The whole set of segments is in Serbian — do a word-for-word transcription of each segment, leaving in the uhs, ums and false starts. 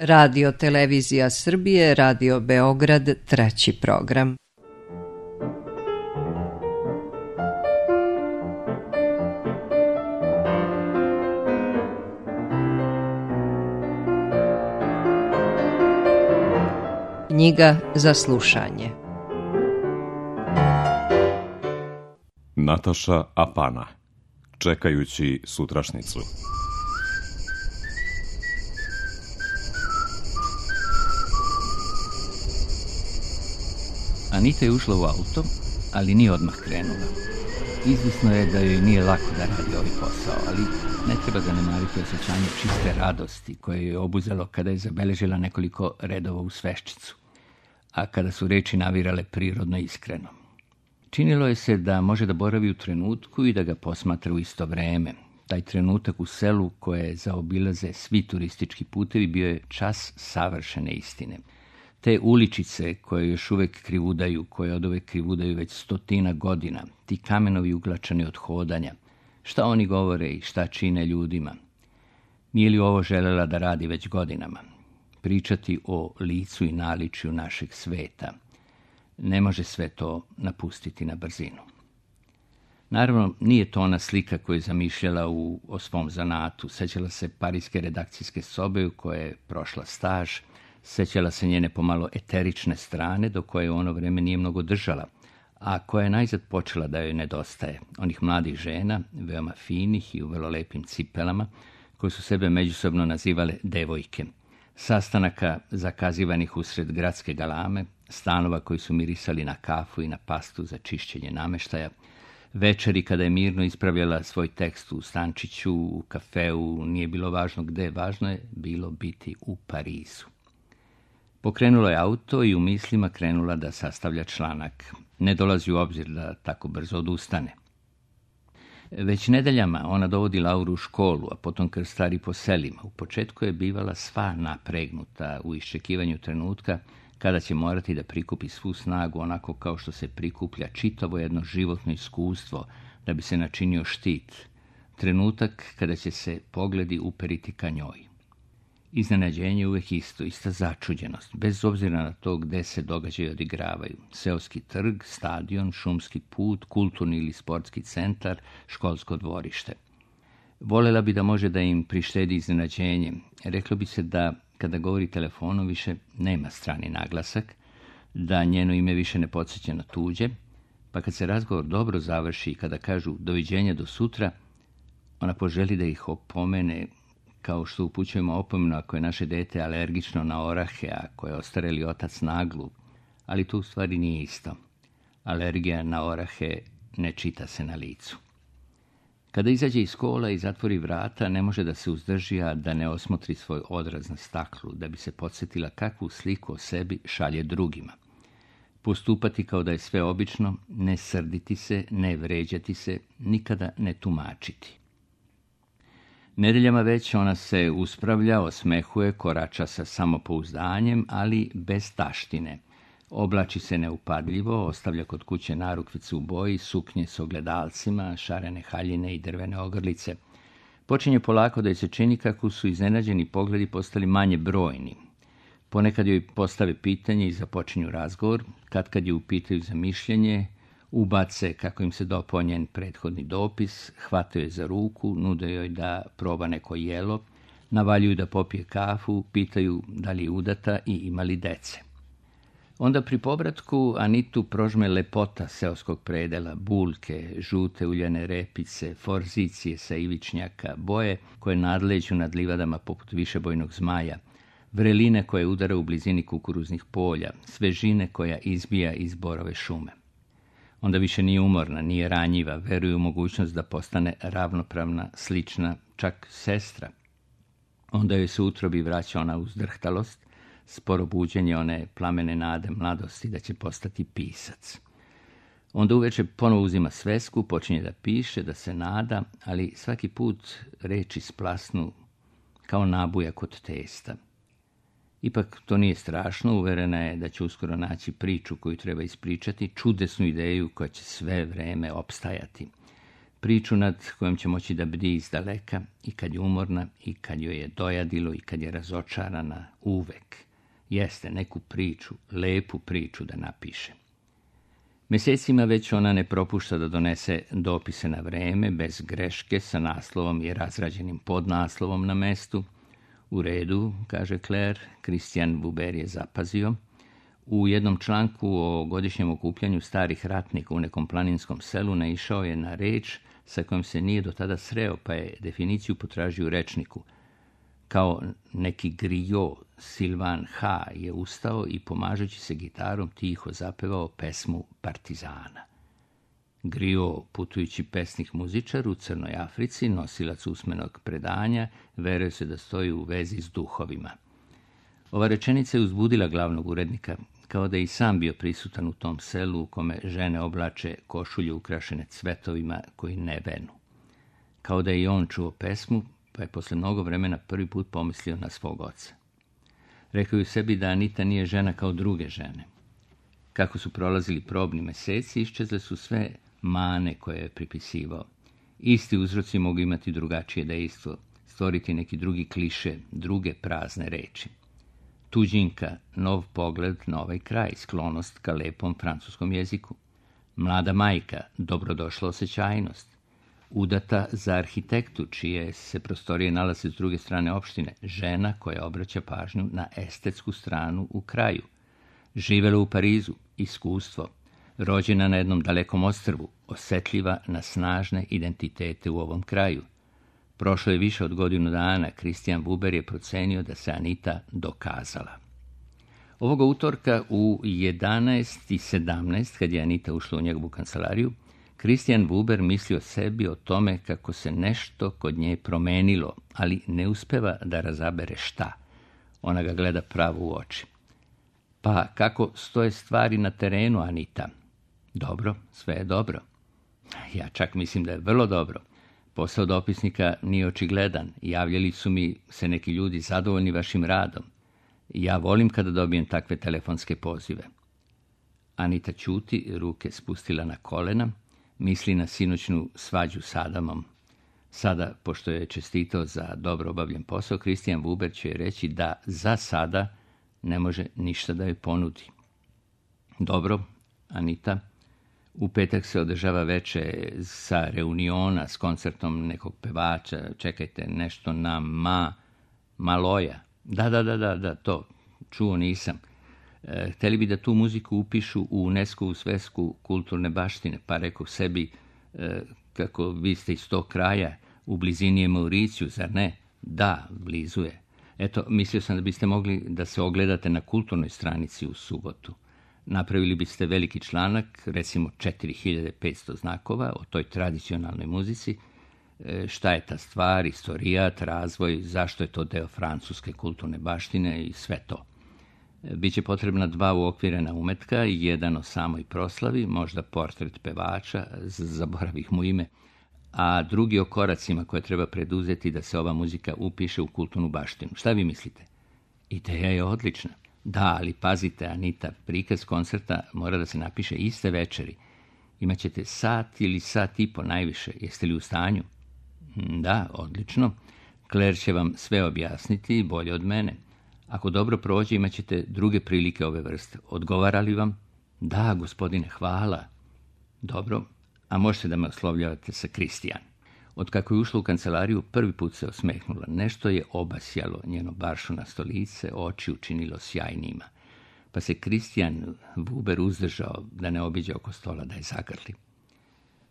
Radio Televizija Srbije, Radio Beograd, treći program. Knjiga za slušanje. Nataša Apana. Čekajući sutrašnicu. Anita je ušla u auto, ali nije odmah krenula. Izvisno je da joj nije lako da radi ovaj posao, ali ne treba zanemariti osjećanje čiste radosti koje je obuzelo kada je zabeležila nekoliko redova u sveščicu, a kada su reči navirale prirodno i iskreno. Činilo je se da može da boravi u trenutku i da ga posmatra u isto vreme. Taj trenutak u selu koje zaobilaze svi turistički putevi bio je čas savršene istine. Te uličice koje još uvek krivudaju, koje od uvek krivudaju već stotina godina, ti kamenovi uglačani od hodanja, šta oni govore i šta čine ljudima. Nije li ovo želela da radi već godinama? Pričati o licu i naličju našeg sveta. Ne može sve to napustiti na brzinu. Naravno, nije to ona slika koju je zamišljala u, o svom zanatu. Sećala se parijske redakcijske sobe u kojoj je prošla staž, sećala se njene pomalo eterične strane, do koje u ono vreme nije mnogo držala, a koja je najzad počela da joj nedostaje. Onih mladih žena, veoma finih i u vrlo lepim cipelama, koje su sebe međusobno nazivale devojke. Sastanaka zakazivanih usred gradske galame, stanova koji su mirisali na kafu i na pastu za čišćenje nameštaja, večeri kada je mirno ispravljala svoj tekst u stančiću, u kafeu, nije bilo važno gde, važno je bilo biti u Parizu. Pokrenula je auto i u mislima krenula da sastavlja članak. Ne dolazi u obzir da tako brzo odustane. Već nedeljama ona dovodi Lauru u školu, a potom krstari po selima. U početku je bivala sva napregnuta u iščekivanju trenutka kada će morati da prikupi svu snagu onako kao što se prikuplja čitavo jedno životno iskustvo da bi se načinio štit. Trenutak kada će se pogledi uperiti ka njoj. Iznenađenje je uvek isto, ista začuđenost, bez obzira na to gde se događaji odigravaju. Seoski trg, stadion, šumski put, kulturni ili sportski centar, školsko dvorište. Volela bi da može da im prištedi iznenađenje. Reklo bi se da kada govori telefonom više nema strani naglasak, da njeno ime više ne podsjeća na tuđe, pa kad se razgovor dobro završi i kada kažu doviđenja do sutra, ona poželi da ih opomene, kao što upućujemo opomenu ako je naše dete alergično na orahe, a ako je ostareli otac naglu, ali to u stvari nije isto. Alergija na orahe ne čita se na licu. Kada izađe iz kola i zatvori vrata, ne može da se uzdrži, a da ne osmotri svoj odraz na staklu, da bi se podsjetila kakvu sliku o sebi šalje drugima. Postupati kao da je sve obično, ne srditi se, ne vređati se, nikada ne tumačiti. Nedeljama već ona se uspravlja, osmehuje, korača sa samopouzdanjem, ali bez taštine. Oblači se neupadljivo, ostavlja kod kuće narukvice u boji, suknje s ogledalcima, šarene haljine i drvene ogrlice. Počinje polako da joj se čini kako su iznenađeni pogledi postali manje brojni. Ponekad joj postave pitanje i započinju razgovor, katkad je upitaju za mišljenje, ubace kako im se dopao njen prethodni dopis, hvataju je za ruku, nude joj da proba neko jelo, navaljuju da popije kafu, pitaju da li je udata i ima li dece. Onda pri povratku Anitu prožme lepota seoskog predela, bulke, žute uljane repice, forzicije sa ivičnjaka, boje koje nadleđu nad livadama poput višebojnog zmaja, vreline koje udara u blizini kukuruznih polja, svežine koja izbija iz borove šume. Onda više nije umorna, nije ranjiva, veruje u mogućnost da postane ravnopravna, slična, čak sestra. Onda joj se utrobi vraća ona uzdrhtalost, sporo buđenje one plamene nade mladosti da će postati pisac. Onda uveče ponovo uzima svesku, počinje da piše, da se nada, ali svaki put reči splasnu kao nabujak od testa. Ipak to nije strašno, uverena je da će uskoro naći priču koju treba ispričati, čudesnu ideju koja će sve vreme opstajati. Priču nad kojom će moći da bdi iz daleka i kad je umorna i kad joj je dojadilo i kad je razočarana uvek. Jeste neku priču, lepu priču da napiše. Mjesecima već ona ne propušta da donese dopise na vreme, bez greške, sa naslovom i razrađenim podnaslovom na mestu. U redu, kaže Claire, Christian Vuber je zapazio. U jednom članku o godišnjem okupljanju starih ratnika u nekom planinskom selu naišao je na reč sa kojom se nije do tada sreo, pa je definiciju potražio u rečniku. Kao neki grijo, Silvan H. je ustao i pomažući se gitarom tiho zapevao pesmu Partizana. Grijo, putujući pesnik muzičar u Crnoj Africi, nosilac usmenog predanja, veruje se da stoji u vezi s duhovima. Ova rečenica je uzbudila glavnog urednika, kao da je i sam bio prisutan u tom selu u kome žene oblače košulje ukrašene cvetovima koji ne venu. Kao da je i on čuo pesmu, pa je posle mnogo vremena prvi put pomislio na svog oca. Rekao je sebi da Anita nije žena kao druge žene. Kako su prolazili probni meseci, iščezle su sve mane koje je pripisivao. Isti uzroci mogu imati drugačije dejstvo, stvoriti neki drugi kliše, druge prazne reči. Tuđinka, nov pogled na ovaj kraj, sklonost ka lepom francuskom jeziku. Mlada majka, dobrodošla osjećajnost. Udata za arhitektu, čije se prostorije nalaze s druge strane opštine, žena koja obraća pažnju na estetsku stranu u kraju. Živela u Parizu, iskustvo. Rođena na jednom dalekom ostrvu, osetljiva na snažne identitete u ovom kraju. Prošlo je više od godinu dana, Christian Vuber je procenio da se Anita dokazala. Ovoga utorka u jedanaest i sedamnaest, kad je Anita ušla u njegovu kancelariju, Christian Vuber misli o sebi, o tome kako se nešto kod nje promenilo, ali ne uspeva da razabere šta. Ona ga gleda pravo u oči. Pa kako stoje stvari na terenu, Anita? Dobro, sve je dobro. Ja čak mislim da je vrlo dobro. Posao dopisnika nije očigledan. Javljali su mi se neki ljudi zadovoljni vašim radom. Ja volim kada dobijem takve telefonske pozive. Anita ćuti, ruke spustila na kolena, misli na sinoćnu svađu s Adamom. Sada, pošto je čestitao za dobro obavljen posao, Christian Vuber će reći da za sada ne može ništa da joj ponudi. Dobro, Anita, u petak se održava veče sa reuniona s koncertom nekog pevača, čekajte, nešto na ma, Maloja. Da, da, da, da, da, to, čuo nisam. E, hteli bi da tu muziku upišu u UNESCO-vu svesku kulturne baštine, pa rekao sebi, e, kako vi ste iz tog kraja, u blizini je Mauriciju, zar ne? Da, blizu je. Eto, mislio sam da biste mogli da se ogledate na kulturnoj stranici u subotu. Napravili biste veliki članak, recimo četiri hiljade petsto znakova o toj tradicionalnoj muzici, e, šta je ta stvar, istorijat, razvoj, zašto je to deo francuske kulturne baštine i sve to. E, Biće potrebna dva uokvirena umetka, jedan o samoj proslavi, možda portret pevača, zaboravih mu ime, a drugi o koracima koje treba preduzeti da se ova muzika upiše u kulturnu baštinu. Šta vi mislite? Ideja je odlična. Da, ali pazite, Anita, prikaz koncerta mora da se napiše iste večeri. Imaćete sat ili sat i po najviše. Jeste li u stanju? Da, odlično. Claire će vam sve objasniti, bolje od mene. Ako dobro prođe, imaćete druge prilike ove vrste. Odgovara li vam? Da, gospodine, hvala. Dobro, a možete da me oslovljavate sa Kristijan. Od kako je ušla u kancelariju, prvi put se osmehnula. Nešto je obasjalo njeno baršunasto lice, oči učinilo sjajnima. Pa se Christian Vuber uzdržao da ne obiđe oko stola da je zagrli.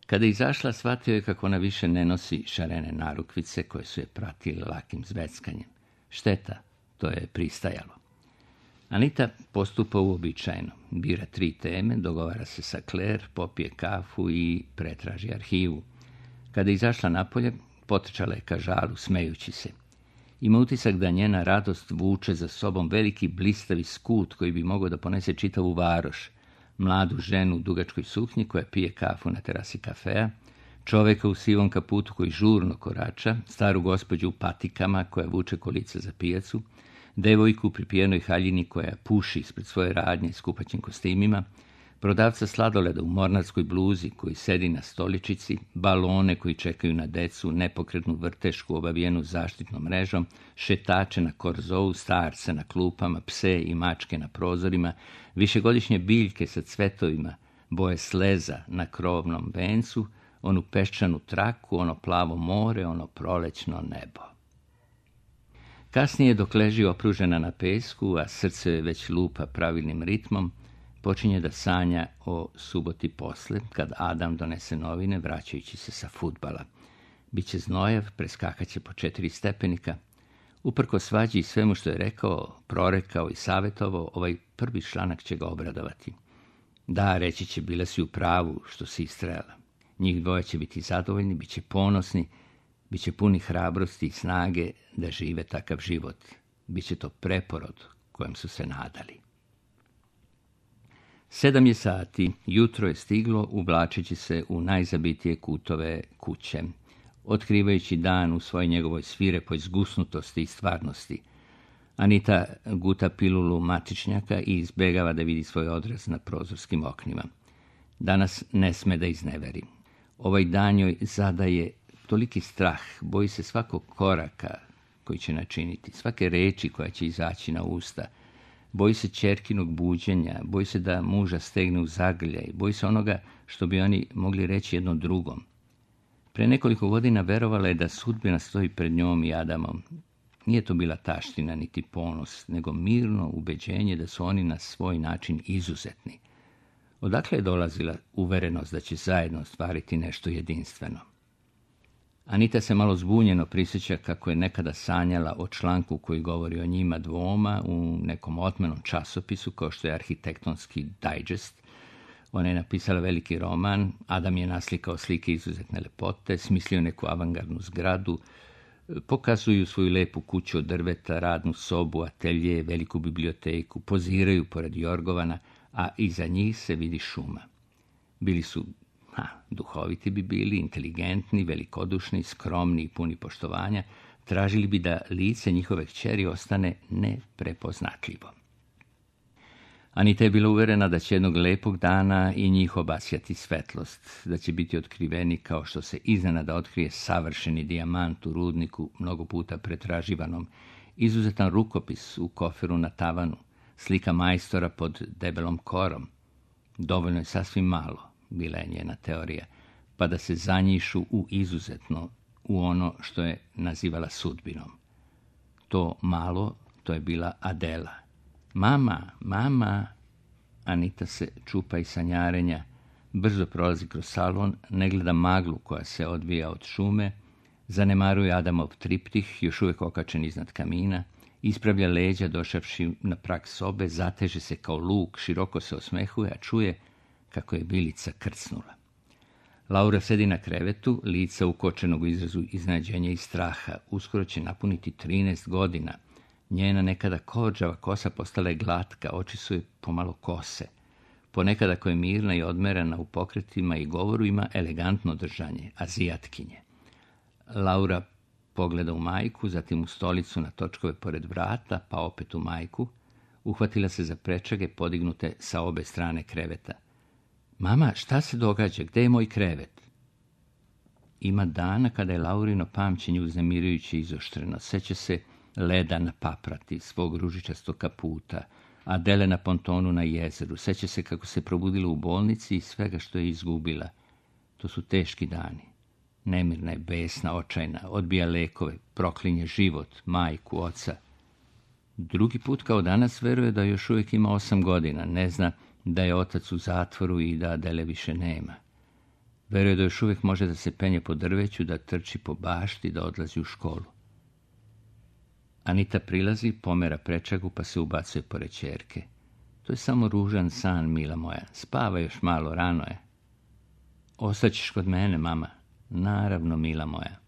Kada je izašla, shvatio je kako ona više ne nosi šarene narukvice koje su je pratile lakim zveckanjem. Šteta, to je pristajalo. Anita postupa uobičajeno. Bira tri teme, dogovara se sa Claire, popije kafu i pretraži arhivu. Kada je izašla napolje, potrčala je ka žalu, smejući se. Ima utisak da njena radost vuče za sobom veliki blistavi skut koji bi mogao da ponese čitavu varoš. Mladu ženu u dugačkoj suknji koja pije kafu na terasi kafea, čoveka u sivom kaputu koji žurno korača, staru gospođu u patikama koja vuče kolica za pijacu, devojku u pripijenoj haljini koja puši ispred svoje radnje s kupaćim kostimima, prodavca sladoleda u mornarskoj bluzi koji sedi na stoličici, balone koji čekaju na decu, nepokretnu vrtešku obavijenu zaštitnom mrežom, šetače na korzou, starce na klupama, pse i mačke na prozorima, višegodišnje biljke sa cvetovima, boje sleza na krovnom vencu, onu peščanu traku, ono plavo more, ono prolećno nebo. Kasnije, dok leži opružena na pesku, a srce već lupa pravilnim ritmom, počinje da sanja o suboti posle, kad Adam donese novine, vraćajući se sa fudbala. Biće znojav, preskakaće po četiri stepenika. Uprko svađi i svemu što je rekao, prorekao i savjetovao, ovaj prvi članak će ga obradovati. Da, reći će, bila si u pravu što si istrajala. Njih dvoje će biti zadovoljni, bit će ponosni, bit će puni hrabrosti i snage da žive takav život. Biće to preporod kojem su se nadali. Sedam je sati, jutro je stiglo uvlačeći se u najzabitije kutove kuće, otkrivajući dan u svojoj njegovoj svirepoj zgusnutosti i stvarnosti. Anita guta pilulu matičnjaka i izbjegava da vidi svoj odraz na prozorskim oknima. Danas ne sme da izneveri. Ovaj dan joj zadaje toliki strah, boji se svakog koraka koji će načiniti, svake reči koja će izaći na usta. Boji se ćerkinog buđenja, boji se da muža stegne u zagrljaj, boji se onoga što bi oni mogli reći jednom drugom. Pre nekoliko godina verovala je da sudbina stoji pred njom i Adamom. Nije to bila taština niti ponos, nego mirno ubeđenje da su oni na svoj način izuzetni. Odakle je dolazila uverenost da će zajedno ostvariti nešto jedinstveno? Anita se malo zbunjeno prisjeća kako je nekada sanjala o članku koji govori o njima dvoma u nekom otmenom časopisu kao što je Arhitektonski Digest. Ona je napisala veliki roman, Adam je naslikao slike izuzetne lepote, smislio neku avangardnu zgradu, pokazuju svoju lepu kuću od drveta, radnu sobu, atelje, veliku biblioteku, poziraju pored jorgovana, a iza njih se vidi šuma. Bili su, ha, duhoviti bi bili, inteligentni, velikodušni, skromni i puni poštovanja, tražili bi da lice njihove kćeri ostane neprepoznatljivo. Anita je bila uverena da će jednog lepog dana i njih obasjati svetlost, da će biti otkriveni kao što se iznenada otkrije savršeni dijamant u rudniku, mnogo puta pretraživanom, izuzetan rukopis u koferu na tavanu, slika majstora pod debelom korom. Dovoljno je sasvim malo, bila je njena teorija, pa da se zanjišu u izuzetno, u ono što je nazivala sudbinom. To malo, to je bila Adela. Mama, mama, Anita se čupa iz sanjarenja, brzo prolazi kroz salon, ne gleda maglu koja se odvija od šume, zanemaruje Adamov triptih, još uvijek okačen iznad kamina, ispravlja leđa došavši na prag sobe, zateže se kao luk, široko se osmehuje, a čuje kako je Bilica krcnula. Laura sedi na krevetu, lica ukočenog u izrazu iznenađenja i straha. Uskoro će napuniti trinaest godina. Njena nekada kođava kosa postala je glatka, oči su joj pomalo kose. Ponekad ako je mirna i odmerena u pokretima i govoru, ima elegantno držanje, azijatkinje. Laura pogleda u majku, zatim u stolicu na točkove pored vrata, pa opet u majku. Uhvatila se za prečage podignute sa obe strane kreveta. Mama, šta se događa? Gde je moj krevet? Ima dana kada je Laurino pamćenje uznemirujuće izoštreno. Seća se leda na paprati, svog ružičastog kaputa, Adele na pontonu na jezeru. Seća se kako se probudila u bolnici i svega što je izgubila. To su teški dani. Nemirna je, besna, očajna, odbija lekove, proklinje život, majku, oca. Drugi put kao danas veruje da još uvijek ima osam godina, ne zna da je otac u zatvoru i da Adele više nema. Veruje da još uvijek može da se penje po drveću, da trči po bašti, da odlazi u školu. Anita prilazi, pomera prečagu pa se ubacuje pored ćerke. To je samo ružan san, mila moja. Spava još malo, rano je. Ostaćeš kod mene, mama. Naravno, mila moja.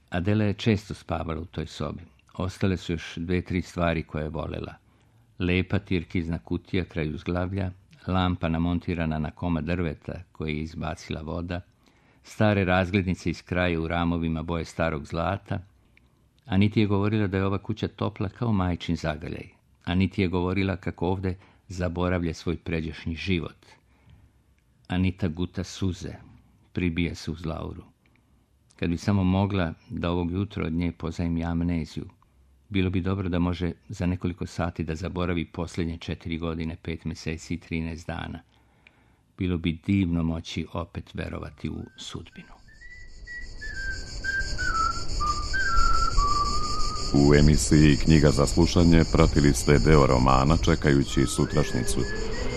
Adela je često spavala u toj sobi. Ostale su još dve, tri stvari koje je volela. Lepa tirkizna kutija kraj uzglavlja, lampa namontirana na komad drveta koje je izbacila voda, stare razglednice iz kraja u ramovima boje starog zlata. Aniti je govorila da je ova kuća topla kao majčin zagrljaj. Aniti je govorila kako ovde zaboravlja svoj pređašnji život. Anita guta suze, pribija se uz Lauru. Kad bi samo mogla da ovog jutra od nje pozajmi amneziju, bilo bi dobro da može za nekoliko sati da zaboravi posljednje četiri godine, pet mjeseci i trinaest dana. Bilo bi divno moći opet verovati u sudbinu. U emisiji Knjiga za slušanje pratili ste deo romana Čekajući sutrašnjicu,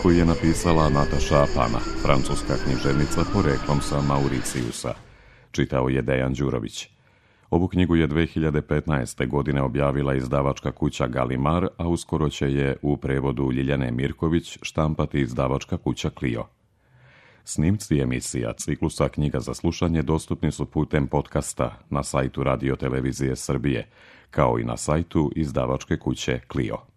koji je napisala Nataša Apana, francuska književnica poreklom sa Mauricijusa. Čitao je Dejan Đurović. Ovu knjigu je dve hiljade petnaeste. godine objavila izdavačka kuća Galimar, a uskoro će je u prevodu Ljiljane Mirković štampati izdavačka kuća Clio. Snimci emisija ciklusa Knjiga za slušanje dostupni su putem podcasta na sajtu Radio Televizije Srbije, kao i na sajtu izdavačke kuće Clio.